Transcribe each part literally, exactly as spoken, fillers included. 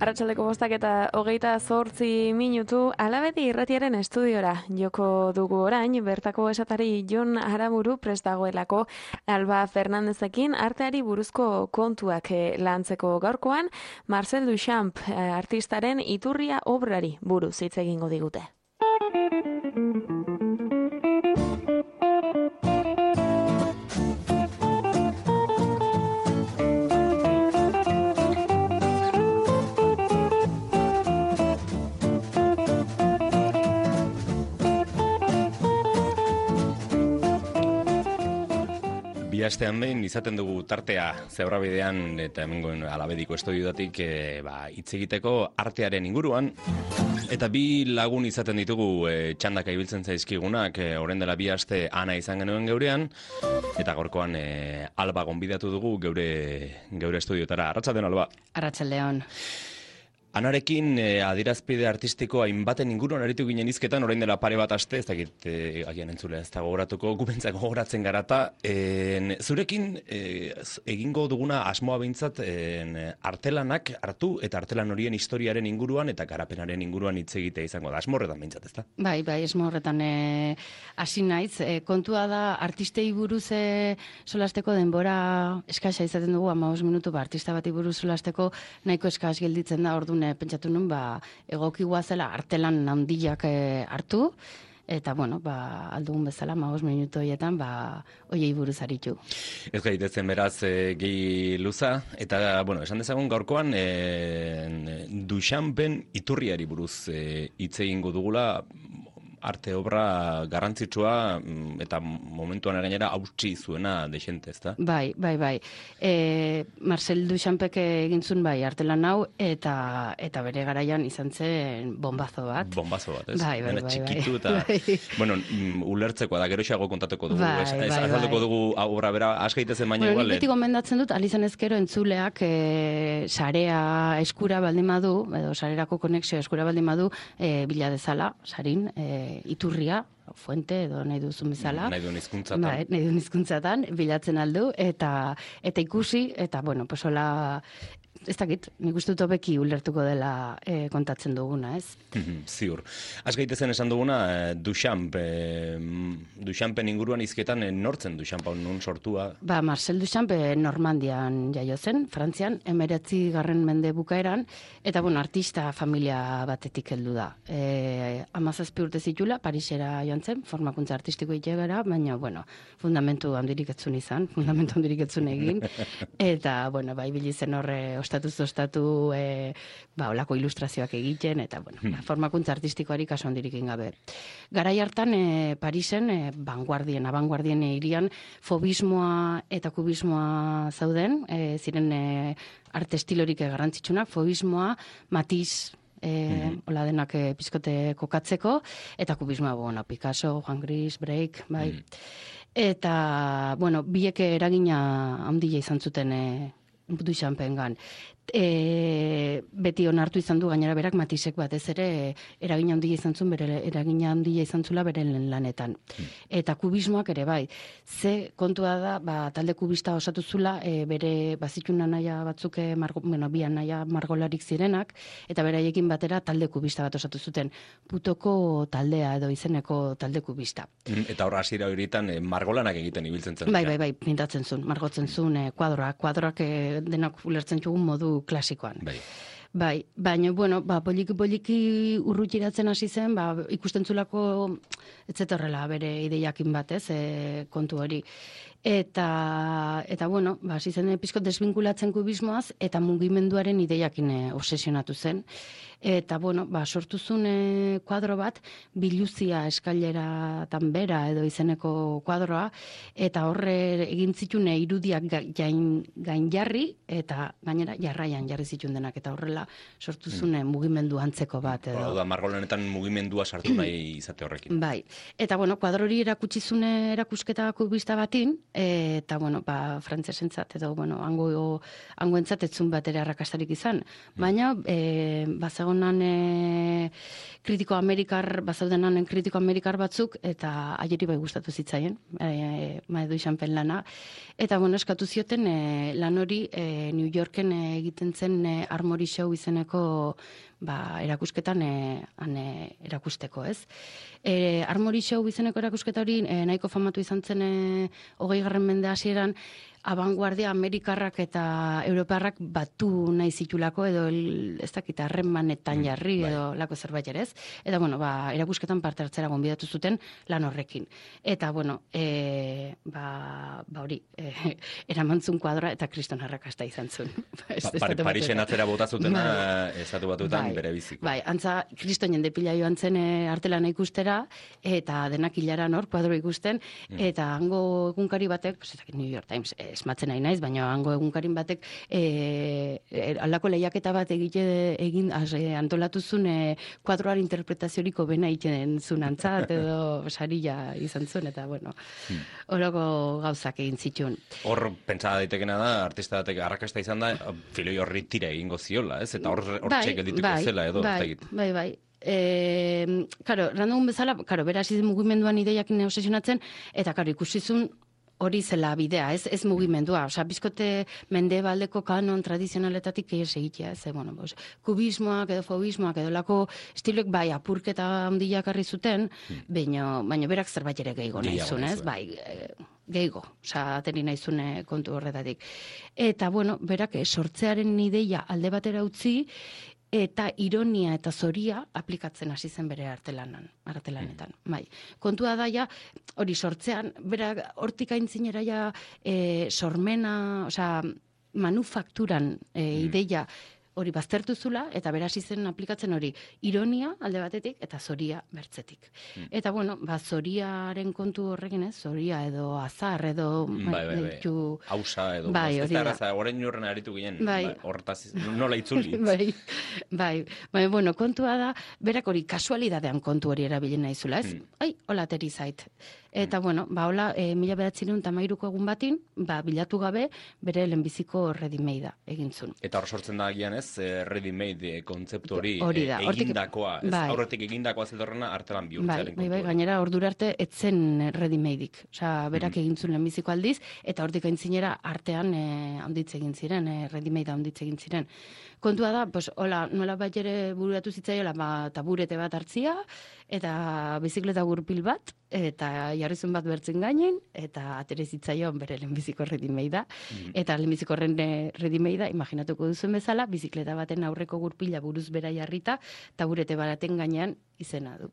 Arratsaldeko bostak eta hogeita zortzi minutu Alabedi irratiaren estudiora joko dugu orain, bertako esatari Jon Aramburu prest dagoelako Alba Fernandezekin arteari buruzko kontuak lantzeko gaurkoan, Marcel Duchamp artistaren Iturria obrari buruz hitz egingo digute. Astean behin izaten dugu tartea Zebrabidean eta hemengoen Alabediko estudiotik e, ba, hitz egiteko artearen inguruan eta bi lagun izaten ditugu e, txandaka ibiltzen zaizkigunak e, orain dela bi aste Ana izan genuen geurean eta gaurkoan e, Alba gonbidatu dugu geure geure estudiotara. Arratsaldeon Alba. Arratsaldeon. Anarekin eh, adierazpide artistiko hainbaten inguruan aritu ginen hizketan orain dela pare bat aste, ez dakit eh, agian entzulea ez da gogoratuko, gubentzak gogoratzen garata. Eh, zurekin eh, egingo duguna asmoa behintzat eh, artelanak hartu eta artelan horien historiaren inguruan eta garapenaren inguruan hitz egitea izango da. Asmo horretan behintzat, ez da? Bai, bai, asmo horretan eh, hasi naiz. Eh, kontua da artistei buruz eh, solasteko denbora eskasa izaten dugu, hamabost minutu, ba, artista bati buruz solasteko nahiko eskas gelditzen da, orduan pentsatu nun, ba, egoki guazela artelan handiak e, hartu, eta, bueno, ba, aldugun bezala, hamabost minutu horietan, ba, hoiei buruz aritu. Ez gaitezen beraz e, gehi luza, eta, bueno, esan dezagun gaurkoan, e, Duchampen Iturriari buruz e, hitz egingo dugula, arte obra garrantzitsua eta momentuan gainera hautsi zuena dexente, ezta? Bai, bai, bai. E, Marcel Duchampek egin zuen bai artelan hau eta eta bere garaian izan zen bombazo bat. Bombazo bat, ez? Bai, bai, bai, txikitu eta, bai. bueno, ulertzekoa da, gero xago kontatuko dugu. Bai, ez, bai, ez azalduko bai. dugu obra bera, askaitezen baina Bueno, igual. nik beti gomendatzen dut, alizan ezkero entzuleak e, sarea eskura baldin badu, edo sarerako konexio eskura baldin badu, e, bila dezala, sarin, e, Iturria, fuente edo nahi duzun bezala. Nahi duen hizkuntzatan. Bai, nahi duen hizkuntzatan, bilatzen aldu, eta eta ikusi, eta bueno, pues hola, ez dakit, nik uste dut hobeki ulertuko dela e, kontatzen duguna, ez? Ziur. Az gaitezen esan duguna, eh, Duchamp, eh, Duchampen inguruan hizketan eh, nortzen Duchamp hau nun sortua? Ba, Marcel Duchamp eh, Normandian jaio zen, Frantzian, emeretzi garren mende bukaeran, eta bueno, artista familia batetik heldu da. E, amazazpi urte zitula, Parisera joan zen, formakuntza artistiko itegara, baina, bueno, fundamentu handirik etzun izan, fundamentu handirik etzun egin, eta, bueno, bai bilizen horre ostatuz ostatu e, ba, olako ilustrazioak egiten, eta, bueno, ba, formakuntza artistikoari kaso handirik gabe. Garai hartan, e, Parisen, e, vanguardien, abanguardien hirian, fobismoa eta kubismoa zauden, e, ziren e, arte estilorik garrantzitsunak, fobismoa, Matisse, E, mm-hmm. Ola denak e, pizkote kokatzeko, eta kubismoa, bueno, Picasso, Juan Gris, Break, bai. Mm. Eta, bueno, biek eragina handia izan zuten e, Duchampengan. E, beti onartu izan du gainera berak Matissek batez ere eragina handia izan zuen, bere eragina handia izan zula bere lanetan. Mm. Eta kubismoak ere bai. Ze kontua da, ba, talde kubista osatu zula, e, bere bazitun anaia batzuk, margo, bueno, bi anaia margolarik zirenak, eta beraiekin batera talde kubista bat osatu zuten. Putoko taldea edo izeneko talde kubista. Mm, eta horra hasiera horietan e, margolanak egiten ibiltzen zen. Bai, bai, bai, pintatzen zuen, margotzen zuen, e, kuadroak, kuadroak e, denak ulertzen txugun modu klasikoan. Bai. Bai, baina, bueno, ba, poliki-poliki urrutiratzen hasi zen, ba, ikusten zulako ez zetorrela bere ideiakin batez, e, kontu hori. Eta, eta bueno, ba, hasi zen pizko desbinkulatzen kubismoaz, eta mugimenduaren ideiakin eh, obsesionatu zen. Eta, bueno, ba, sortu zuen eh, kuadro bat, biluzia eskaileratan bera edo izeneko kuadroa, eta horre egin zituen eh, irudiak ga- gain, gain jarri, eta gainera jarraian jarri zituen denak, eta horrela sortu zuen eh, mugimendu antzeko bat. Edo. Hau da, margolenetan mugimendua sartu nahi izate horrekin. Bai, eta bueno, kuadro hori erakutsi zune erakusketa kubista batin, eta bueno, ba, frantsesentzat edo bueno, hango hangoentzat etzun bat ere arrakastarik izan, baina e, bazegonan e, kritiko amerikar, bazaudenan kritiko amerikar batzuk, eta aieri bai gustatu zitzaien, e, Maedu Xanpen lana, eta bueno, eskatu zioten e, lan hori e, New Yorken e, egiten zen e, Armory Show izeneko ba, erakusketan e, han e, erakusteko, ez? E, Armory Show izeneko erakusketa hori e, nahiko famatu izan zen e, hogei garren mende hasieran, abanguardia amerikarrak eta europarrak batu nahi zitulako edo el, ez dakit harremanetan jarri bai. edo lako zerbait ere ez. Eta bueno, ba, erakusketan parte hartzera gonbidatu zuten lan horrekin. Eta bueno, e, ba, ba hori, e, eramantzun kuadroa eta kriston arrakasta izan zuen. Pa, pa, Parisen atzera bota zutena, estatu batuetan bai, bere biziko. Bai, antza, kriston jende pila joan zen e, artelana ikustera, eta denak hilaran hor, kuadro ikusten, Mm. eta hango egunkari batek, pues, ez dakit, New York Times, eh, esmatzen nahi naiz, baina hango egunkarin batek e, e, aldako lehiaketa bat egite egin az, e, antolatu zuen e, kuadroaren interpretazioriko bena egiten zuen antzat, edo sarila izan zuen, eta bueno, horoko gauzak egin zituen. Hor, pentsa daitekena da, artista batek arrakasta izan da, filoi horri tira egingo ziola, ez? Eta hor, hor Bai, geldituko bai, zela, edo, bai, ez dakit. bai, bai. E, karo, random bezala, karo, bera hasi zen mugimenduan ideiakin obsesionatzen, eta karo, ikusizun hori zela bidea, ez, ez mugimendua. Osea, bizkote mendebaldeko kanon tradizionaletatik ez egitea, ez, bueno, bos, kubismoak edo fobismoak edo lako estiloek bai apurketa handiak harri zuten, baina, baina berak zerbait ere gehiago nahi Gehiago zuen, nahi ez, zuen. bai, e, gehiago, osea, ateri nahi zuen e, kontu horretatik. Eta, bueno, berak e, sortzearen ideia alde batera utzi, eta ironia eta zoria aplikatzen hasi zen bere artelanan, artelanetan. Bai. Kontua da ja, hori sortzean, bera hortik aintzinera ja e, sormena, osea, manufakturan e, ideia hori baztertu zula, eta bera hasi zen aplikatzen hori ironia alde batetik eta zoria bertzetik. Eta bueno, ba, zoriaren kontu horrekin, ez, zoria edo azar edo Bai, bai, bai. deitu- Hausa edo, Bai, ez hori da da. erraza, orain urren aritu ginen, Bai. ba, hortaz, nola itzuli. bai, bai, bai, bueno, kontua da, berak hori kasualidadean kontu hori erabilien nahi zula, ez? Hmm. Ai, hola ateri zait. Eta, bueno, ba, hola, e, mila behatzireun tamairuko egun batin, ba, bilatu gabe, bere lehenbiziko ready-made egin zuen. Eta hor sortzen da agian ez, eh, ready-made eh, kontzeptu hori, Hori eh, da, hortik- egindakoa, ez, bai. aurretik egindakoa zetorrena artelan Bai, bihurtzearen bai, bai, kontua. gainera ordura arte etzen ready-madeik. Osea, berak Mhm. egin zuen lehenbiziko aldiz, eta hortik aintzinera artean e, handitze egin ziren, e, ready-made handitze egin ziren. Kontua da, pues, hola, nola bat ere bururatu zitzaiola, ba, taburete bat hartzia, eta bizikleta gurpil bat, eta jarrizun bat bertzen gainen, eta atere zitzaion bere lehenbiziko ready-madea, eta lehenbiziko ready-madea, imaginatuko duzuen bezala, bizikleta baten aurreko gurpila buruz bera jarrita, taburete baraten gainean izena du.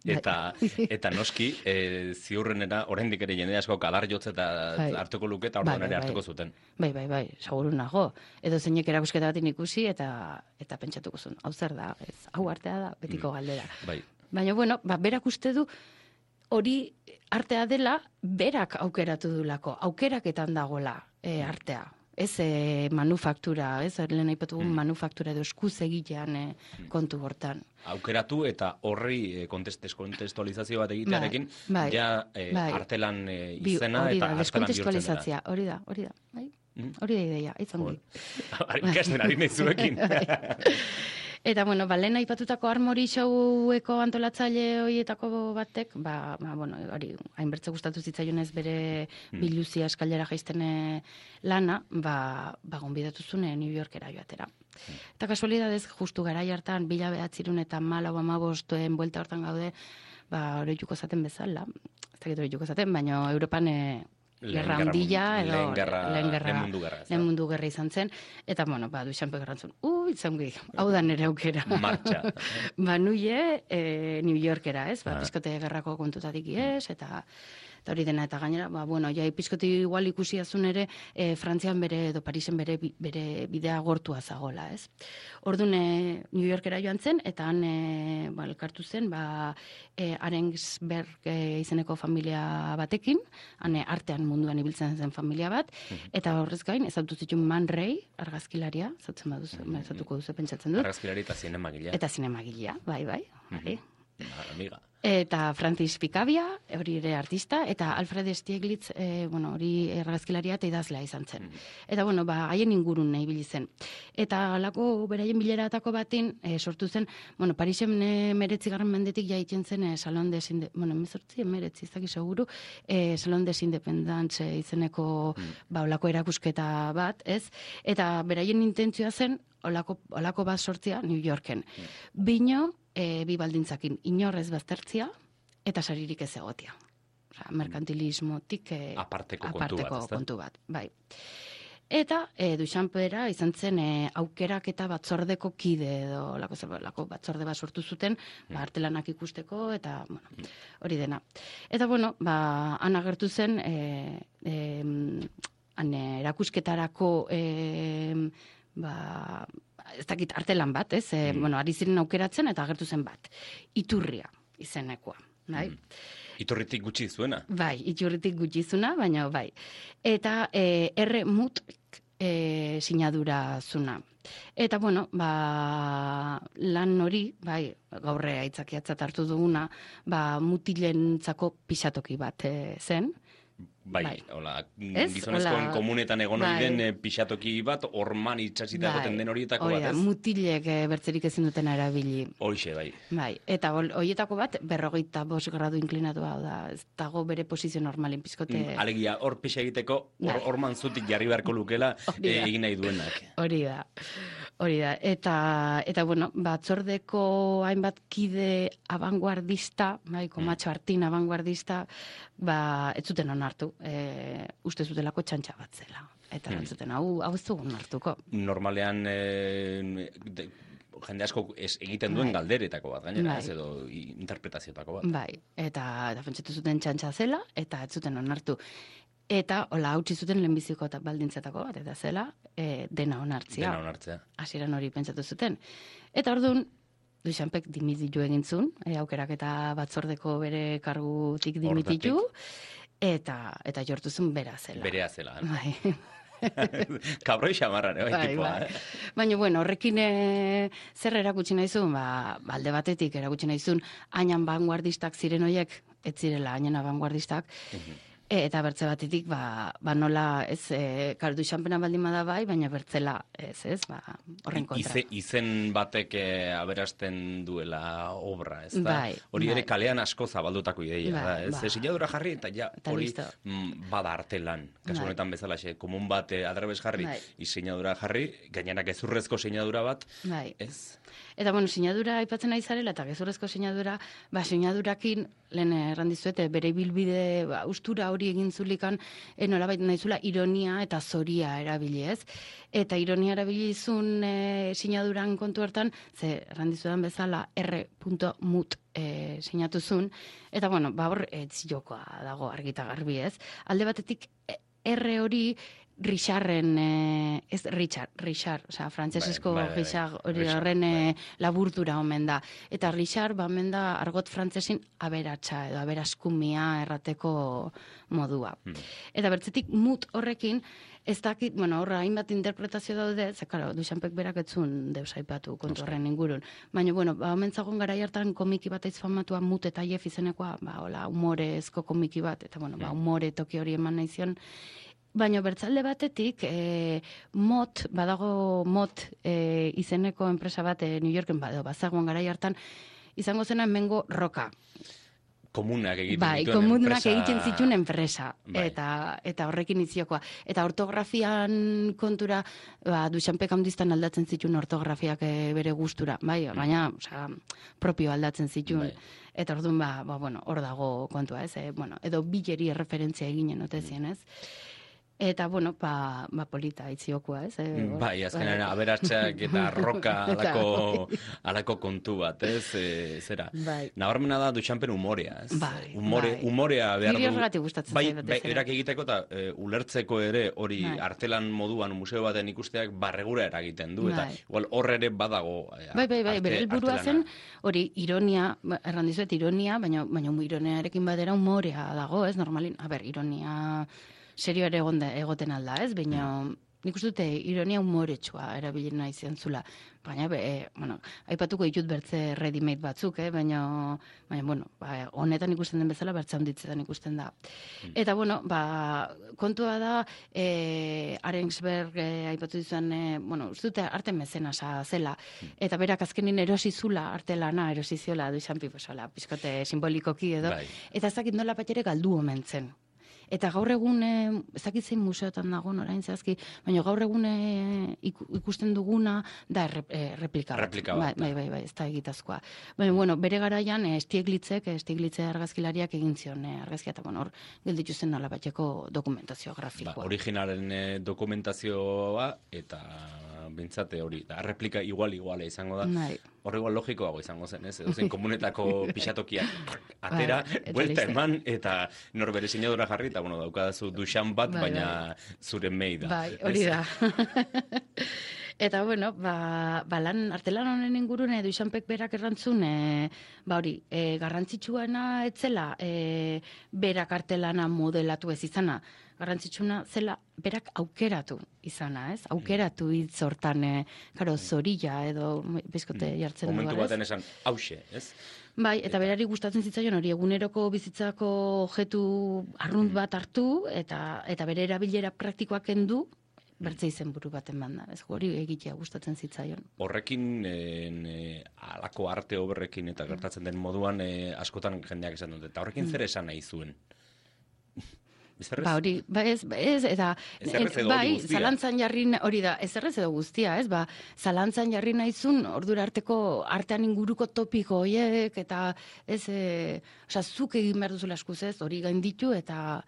Eta, eta noski, e, ziurrenera, oraindik ere jende asko kadar jotze eta Bai. hartuko luke, eta Bai, orduan ere bai, bai. hartuko zuten. Bai, bai, bai, seguru nago. Edo zeinek erakusketa batin ikusi eta eta pentsatuko zuen. Hau zer da, ez, hau artea da, betiko galdera. Bai. Baina, bueno, ba, berak uste du hori artea dela berak aukeratu dulako, aukeraketan dagola e, artea. Ez e, manufaktura, ez, lehen aipatu Mm. manufaktura edo eskuz egitean e, kontu hortan. Aukeratu eta horri e, kontest, kontestualizazio bat egitearekin, bai, ja e, bai. artelan e, Bi- izena hori eta da, artelan bihurtzen dela. deskontestualizatzia, hori da, hori da, bai? Mm. Hori da ideia, itzongi. Ikasten ari nahi zuekin. Eta, bueno, ba, lehen aipatutako Armory Showeko antolatzaile horietako batek, ba, ba bueno, hori, hainbertze gustatu zitzaionez bere biluzia eskailera jaisten eh, lana, ba, ba gonbidatu zuen eh, New Yorkera joatera. Eta kasualidadez, justu garai hartan, bila behatzirun eta malau amabostuen buelta hortan gaude, ba, oroituko zaten bezala, ez dakit oroituko zaten, baina Europan eh, Lehen gerra gerra handia, mun- edo lehen gerra- lehen gerra, lehen mundu gerra, ez da? lehen mundu gerra izan zen, eta, bueno, ba, duixanpe gerrantzun, ui, izangi, hau da nire aukera. Martxa. Ba, nuie, e, New Yorkera, ez? Ba, Ah. pizkote gerrako kontutatik ez, eta eta hori dena, eta gainera, ba, bueno, ja, pizkoti igual ikusi azun ere, e, Frantzian bere, edo Parisen bere, bere bidea gortua zagola, ez? Orduan, e, New Yorkera joan zen, eta han, e, ba, elkartu zen, ba, e, Arensberg e, izeneko familia batekin, han e, artean munduan ibiltzen zen familia bat, eta horrez gain, ezautu zituen Man Ray, argazkilaria, zautzen baduzu, mm -hmm. ezautuko duzu pentsatzen dut. Argazkilari eta zinemagilea. Eta zinemagilea, bai, bai, bai. Mm -hmm. Amiga. Eta Francis Picabia, hori ere artista, eta Alfred Stieglitz, e, bueno, hori argazkilaria eta idazlea izan zen. Mm -hmm. Eta, bueno, ba, haien ingurun nahi ibili zen. Eta alako beraien bileratako batin, e, sortu zen, bueno, Parisen e, meretzigarren mendetik jaitzen zen e, Salon des Inde... Bueno, emezortzi, emeretzi, izaki seguru, e, Salon des Independents e, izeneko, mm. ba, olako erakusketa bat, ez? Eta beraien intentzioa zen, olako, olako bat sortzia New Yorken. Mm. Bino, E, bi baldintzakin, inorrez baztertzia eta saririk ez egotia. Osa, merkantilismotik e, aparteko, aparteko kontu, bat, kontu bat. Bai. Eta e, Duchampera izan zen e, aukerak eta batzordeko kide edo lako, lako batzorde bat sortu zuten, mm. ba, artelanak ikusteko eta bueno, hori dena. Eta bueno, ba, han agertu zen e, e, han erakusketarako e, ba, ez dakit artelan bat, ez? E, mm. Bueno, ari ziren aukeratzen eta agertu zen bat. Iturria izenekoa, bai? Mm. Iturritik gutxi zuena? Bai, iturritik gutxi zuna, baina bai. Eta e, erre mut e, sinadura zuna. Eta, bueno, ba, lan hori, bai, gaurre aitzakiatzat hartu duguna, ba, mutilentzako pixatoki bat e, zen. Bai, bai. Hola, gizonezkoen komunetan egon hori den bai. Pixatoki bat, orman itxasita bai. Egoten den horietako bat, ez? Mutilek e, bertzerik ezin duten erabili. Hoixe, bai. Bai, eta horietako bat, berrogeita bost gradu inklinatua da, ez dago bere posizio normalen pizkote. Mm, alegia, hor pixa egiteko, or, orman zutik jarri beharko lukela e, egin nahi duenak. Hori da. Hori da, eta, eta bueno, batzordeko hainbat kide abanguardista, bai, komatxo hartin abanguardista, ba, ez zuten onartu, e, uste zutelako txantxa bat zela. Eta ez zuten, hau, hau ez dugun onartuko. Normalean, e, de, jende asko ez egiten duen bai. Galderetako bat, gainera, bai. Ez edo interpretazioetako bat. Bai, eta, eta pentsatu zuten txantxa zela, eta ez zuten onartu. Eta, hola, hautsi zuten lehenbiziko baldintzetako bat, eta zela, e, dena onartzea. Dena onartzea. Hasieran hori pentsatu zuten. Eta orduan, Duchampek dimititu egin zuen, e, aukerak eta batzordeko bere kargutik dimititu, eta, eta jortu zuen bera zela. Berea zela. Bai. Kabroi xamarran, eh, bai, tipoa, bai. Eh? Baina, bueno, horrekin e, zer erakutsi nahi zuen, ba, alde batetik erakutsi nahi zuen, hainan vanguardistak ziren horiek, ez zirela hainan vanguardistak, uh-huh. Eta bertze batetik, ba, ba nola, ez, e, kar Duchampena baldin bada bai, baina bertzela, ez, ez, ba, horren kontra. Ize, izen batek e, aberasten duela obra, ez da? Bai, hori bai. ere kalean asko zabaldutako ideia, bai, da, ez? Bai. Sinadura jarri, eta ja, eta hori listo. mm, bada artelan. Kasu Bai. honetan bezala, xe, komun bat e, adrebes jarri, Bai. sinadura jarri, gainera gezurrezko sinadura bat, Bai. ez? Eta, bueno, sinadura aipatzen nahi zarela, eta gezurrezko sinadura, ba, sinadurakin, lehen errandizuete, bere bilbide, ba, ustura hori egin zulikan, e, nolabait nahizula, ironia eta zoria erabili, ez? Eta ironia erabili izun e, sinaduran kontu hartan, ze errandizuetan bezala, erre punto mut e, sinatu zuen, eta, bueno, ba, hor, ez jokoa dago argita garbi, ez? Alde batetik, erre hori, Richarren, eh, ez Richard, Richard, osea, frantsesesko bai, bai, bai. Richard hori Richard, horren bai. eh, laburtura omen da. Eta Richard, ba, omen da argot frantsesin aberatsa edo aberaskumia errateko modua. Hmm. Eta bertzetik mut horrekin, ez dakit, bueno, horra hainbat interpretazio daude, ze, karo, Duchampek berak etzun deus aipatu kontu horren ingurun. Baina, bueno, ba, omen zagon garai hartan komiki bat aiz famatua mut eta jef izenekoa, ba, hola, humorezko komiki bat, eta, bueno, ba, humore toki hori eman nahi zion. Baina bertzalde batetik, e, mot, badago mot e, izeneko enpresa bat e, New Yorken, bado, bazagoen garai hartan, izango zena hemengo roka. Komunak egiten bai, dituen komunak enpresa. egiten zituen enpresa. Bai. Eta, eta horrekin iziokoa. Eta ortografian kontura, ba, Duchampek handiztan aldatzen zituen ortografiak e, bere gustura. Bai, baina, osea, propio aldatzen zituen. Bai. Eta orduan, ba, ba, bueno, hor dago kontua, ez? E, bueno, edo bileri referentzia eginen otezien, ez? Eta, bueno, ba, ba polita itziokua, ez? E, bai, azkenean aberatsak eta roka alako, alako kontu bat, ez? E, zera, bai. Nabarmena da Duchampen umorea, ez? Bai, Umore, bai. Umorea behar du. Niri horregatik gustatzen bai, zait batez bai, ere. erak egiteko eta e, ulertzeko ere hori Bai. artelan moduan museo baten ikusteak barregura eragiten du, eta Bai. igual horre ere badago. E, Bai, bai, bai, arte- bere helburua zen artelana. hori ironia, ba, erran dizuet ironia, baina baina ironiarekin batera umorea dago, ez? Normalin, a ber, ironia serio ere egon da- egoten alda, ez? Baina nik uste dute ironia umoretsua erabili nahi ziantzula. Baina, be, e, bueno, aipatuko ditut bertze ready-made batzuk, eh? baina, baina, bueno, ba, honetan ikusten den bezala, bertze handitzetan ikusten da. Eta, bueno, ba, kontua da, e, Arensberg e, aipatu dizuan, e, bueno, uste dute arte mezenasa zela, eta berak azkenin erosi zula, arte lana erosi ziola, Duchampi, pues, hola, pizkote simbolikoki edo, Bai. eta ez dakit nola bat ere galdu omen zen. Eta gaur egun, e, ez dakit zein museotan dagoen orain zehazki, baina gaur egun e, iku- ikusten duguna da erre, e, replika bat. Replika bat, Bai, bai, bai, bai, ez da egitazkoa. Baina, bueno, bere garaian e, Stieglitzek, e, Stieglitze argazkilariak egin zion e, argazkia, eta bueno, hor gelditu zen nola bateko dokumentazio Ba, grafikoa. originalen e, dokumentazioa eta bintzate hori, da, replika igual-iguala izango da. Bai. Hor igual logikoago izango zen, ez? Edozein komunetako pixatokiak atera, Bai, eta buelta listo. eman, eta nor bere sinadura jarri, eta bueno, daukadazu Duchamp bat, Bai, baina zure mei da. Bai, hori ez? da. Eta, bueno, ba, ba lan, artelan honen ingurun, edo Duchampek berak errantzun, e, ba hori, e, garrantzitsuena etzela, e, berak artelana modelatu ez izana, garrantzitsuna zela berak aukeratu izana, ez? Aukeratu hitz hortan, e, karo, zorilla edo bizkote jartzen du, Momentu ez? baten esan, hause, ez? Bai, eta berari gustatzen zitzaion hori eguneroko bizitzako objektu arrunt bat hartu eta eta bere erabilera praktikoak kendu bertze izenburu baten banda. Ez hori egitea gustatzen zitzaion. Horrekin, en, e, alako arte oberrekin eta gertatzen den moduan, e, askotan jendeak esan dute, eta horrekin zer esan nahi zuen? Ezerrez? Ba hori, ba ez, ba ez, eta Ezerrez edo hori bai, guztia. zalantzan jarri, na- hori da, ezerrez edo guztia, ez, ba, zalantzan jarri naizun, ordura arteko artean inguruko topiko hoiek, eta ez, e, osea, zuk egin behar duzula eskuz ez, hori gainditu, eta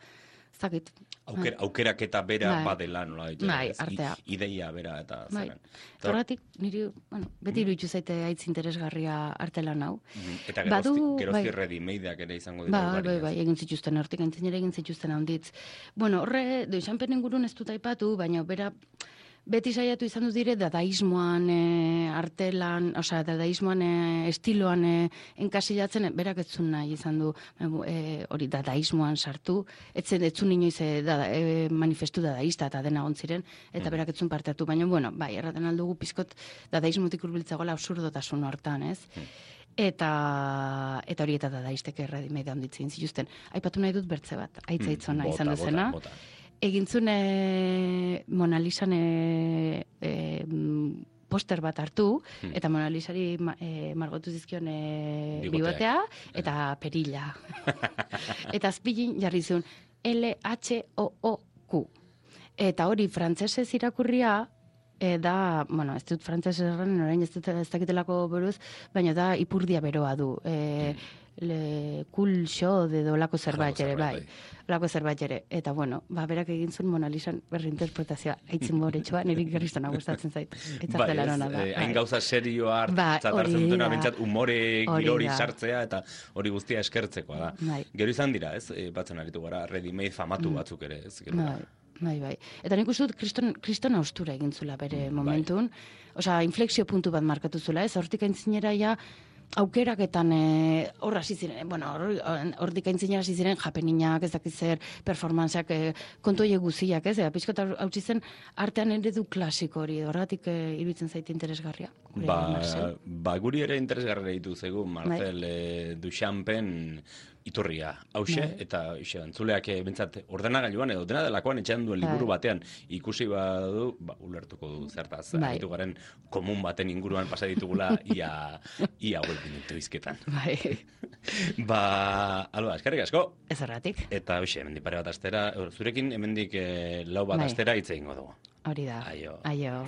ez dakit. Auker, aukerak eta bera Bai. badela, nola ditu, Bai, ez? I- artea. ideia bera eta Bai. zeren. Eta hor- Horregatik, niri, bueno, beti iruditu zaite haitz interesgarria artelan hau. Mhm. Eta Badu, gerozti, gerozti bai. ready-madeak ere izango dira Bai, bai, ugariak. bai, egin zituzten, hortik gaintzinera egin zituzten handitz. Bueno, horre, Duchampen ingurun ez dut aipatu, baina bera beti saiatu izan dut dire dadaismoan e, artelan, osea, dadaismoan e, estiloan e, enkasilatzen, e, berak ez zuen nahi izan du e, hori dadaismoan sartu, etzen ez zuen inoiz e, dada, e, manifestu dadaista eta dena ziren eta berak ez zuen parte hartu, baina, bueno, bai, erraten aldugu pizkot dadaismotik hurbiltzagoela absurdotasun hortan, ez? Eta eta hori eta dadaistek erredimede handitzen zituzten. Aipatu nahi dut bertze bat, aitza itzona Bota, izan bota, dezena. bota. Egintzun e, Mona Lisan e, e, mm, poster bat hartu, eta Mona Lisari ma, e, margotu zizkion e, Bigoteak. bigotea eta perilla. Eta azpilin jarri zuen L H O O Q. Eta hori frantsesez irakurria e, da, bueno, ez dut frantsesez erran, orain ez dut ez dakitelako buruz, baina da ipurdia beroa du. E, le cool show edo lako zerbait ere, zerbait, bai. Lako zerbait ere. Eta bueno, ba, berak egin zuen Mona Lisan berri interpretazioa. Aitzin boretsua, niri gerriztona gustatzen zait. Eta Bai, zela ez, nona da. eh, hain bai. gauza serioa Ba, hartzat hori hartzen dutena da. bentsat umore Hori girori da. sartzea eta hori guztia eskertzekoa da. Bai. Gero izan dira, ez, e, batzen aritu gara, ready-made famatu batzuk ere, ez, gero. Bai, bai, bai. Eta nik uste dut kriston, kriston austura egin zula bere momentun. Osea, inflexio puntu bat markatu zula, ez? Hortik aintzinera ja aukeraketan e, hor hasi ziren, bueno, hor- hortik aintzinera hasi ziren japeninak, ez dakit zer, performanceak, e, kontu horiek guziak, ez? Eta pixkot hautsi zen artean eredu klasiko hori, horregatik e, iruditzen zaite interesgarria. Gure Ba, Marcel. ba, guri ere interesgarra ditu zegu Marcel e, Duchampen iturria, hause, Bai. eta xe, entzuleak e, bentsat ordenagailuan edo dena delakoan etxean duen liburu Bai. batean ikusi badu, ba, ulertuko du zertaz, Bai. aritu garen komun baten inguruan pasa ditugula ia, ia hauek minutu izketan. Bai, Ba, alba, eskerrik asko, ez horregatik, eta hoxe, hemendik pare bat astera, zurekin hemendik e, lau bat Bai. astera hitz egingo dugu. hori da. Aio. Aio.